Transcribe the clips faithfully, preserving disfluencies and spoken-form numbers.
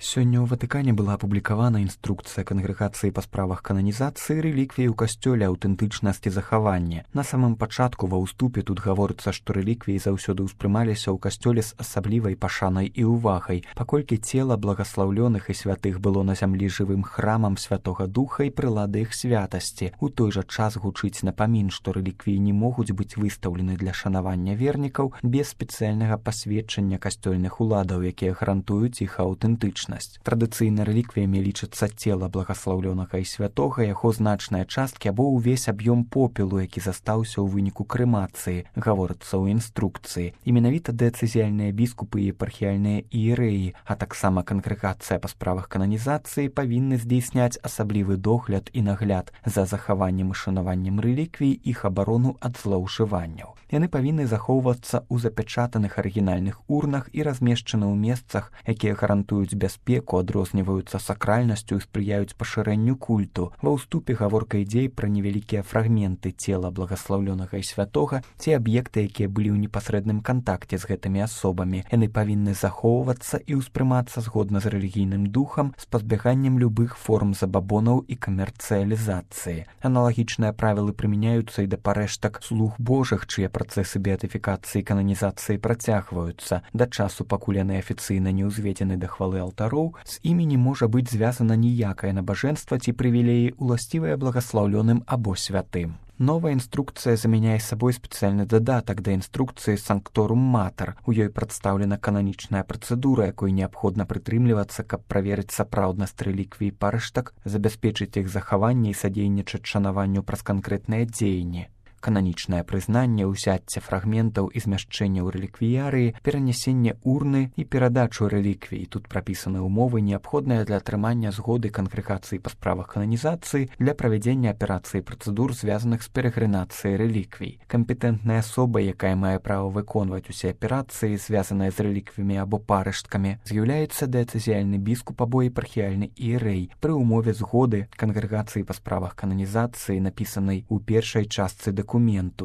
Сёння ў Ватыкане была апублікавана інструкцыя кангрэгацыі па справах кананізацыі рэліквій у касцёле аўтэнтычнасці захавання. На самым пачатку ва ўступе тут гаворыцца, што рэліквіі заўсёды ўспрымаліся ў касцёле з асаблівай пашанай і ўвагай, паколькі цела благаслаўлёных і святых было на зямлі жывым храмам Святога Духа і прылады іх святасці. У той жа час гучыць напамін, што рэліквіі не могуць быць выстаўлены для шанавання вернікаў без спецыяльнага пасведчання касцёльных уладаў, якія гарантуюць іх аўтэнтычнасць. Традыцыйна рэліквіямі лічыцца цела благаслаўлёнага і святога, яго значныя часткі або ўвесь аб'ём попелу, які застаўся ў выніку крэмацыі, гаворыцца ў інструкцыі. І менавіта дыяцэзіяльныя біскупы і епархіяльныя іерэі, а таксама кангрэгацыя па справах кананізацыі павінны здзейсняць асаблівы догляд і нагляд за захаваннем і шанаваннем рэліквій, іх абарону ад злоўжыванняў. Яны павінны захоўвацца ў запячатаных арыгінальных урнах і размешчаны ў месцах, якія гарантуюць бяспеку, адрозніваюцца сакральнасцю і спрыяюць пашырэнню культу. Ва ўступе гаворка ідзе пра невялікія фрагменты цела благаслаўлёнага і святога ці аб'екты, якія былі ў непасрэдным кантакце з гэтымі асобамі. Яны павінны захоўвацца і ўспрымацца згодна з рэлігійным духам з пазбяганнем любых форм забабонаў і камерцыялізацыі. Аналагічныя правілы прымяняюцца і да парэштак слуг Божых, чыя працэсы беатыфікацыі і кананізацыі працягваюцца. Да часу, пакуль яны афіцыйна не ўзведзены да хвалы алтароў, з імі не можа быць звязана ніякае набажэнства ці прывілеі, уласцівыя благаслаўлёным або святым. Новая інструкцыя замяняе сабой спецыяльны дадатак да інструкцыі Санкторум Матер. У ёй прадстаўлена кананічная працэдура, якой неабходна прытрымлівацца, каб праверыць сапраўднасць рэліквій парэштак, забяспечыць іх захаванне і садзейнічаць шанаванню праз канкрэтныя дзеянні. Кананічнае прызнанне, ўзяцце фрагментаў і змяшчэння ў рэліквіярыі, перанясенне урны і перадачу рэліквій. Тут прапісаны ўмовы, неабходныя для атрымання згоды кангрэгацыі па справах кананізацыі для правядзення аперацыі працэдур, звязаных з перагрэнацыяй рэліквій. Кампетэнтная асоба, якая мае права выконваць усе аперацыі, звязаныя з рэліквіямі або парэшткамі, з'яўляецца дыяцэзіяльны біскуп або епархіяльны іерэй пры ўмове згоды кангрэгацыі па справах кананізацыі, напісанай у першай частцы дакументу.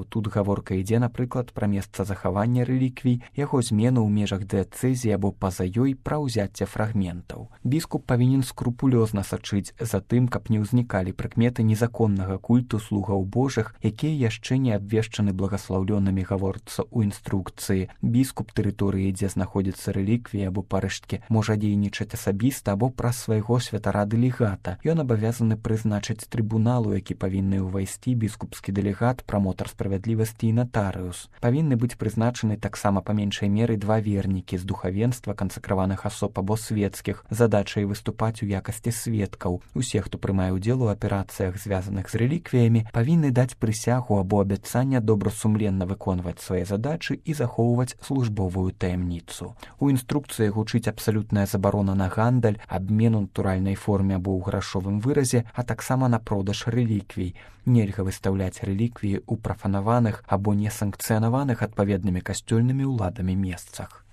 Тут гаворка ідзе, напрыклад, пра месца захавання рэліквій, яго змену ў межах дыяцэзіі або па-за ёй, пра ўзяцце фрагментаў. Біскуп павінен скрупулёзна сачыць за тым, каб не ўзнікалі прыкметы незаконнага культу слугаў Божых, якія яшчэ не абвешчаны благаслаўлёнымі, гаворыцца ў інструкцыі. Біскуп тэрыторыі, дзе знаходзяцца рэліквіі або парэшткі, можа дзейнічаць асабіста або праз свайго святара-дэлегата. Ён абавязаны прызначыць трыбуналу, які павінны ўвайсці біскупскі дэлегат, прамотар справядлівасці і натарыус. Павінны быць прызначаны таксама па меншай меры два вернікі з духавенства, кансакраваных асоб або свецкіх, задачай выступаць у якасці сведкаў. Усе, хто прымае ўдзел у аперацыях, звязаных з рэліквіямі, павінны даць прысягу або абяцанне добрасумленна выконваць свае задачы і захоўваць службовую таямніцу. У інструкцыі гучыць абсалютная забарона на гандаль, абмен у натуральнай форме або ў грашовым выразе, а таксама на продаж рэліквій. Нельга выстаўляць рэліквіі ў прафанаваных або несанкцыянаваных адпаведнымі касцёльнымі ўладамі месцах.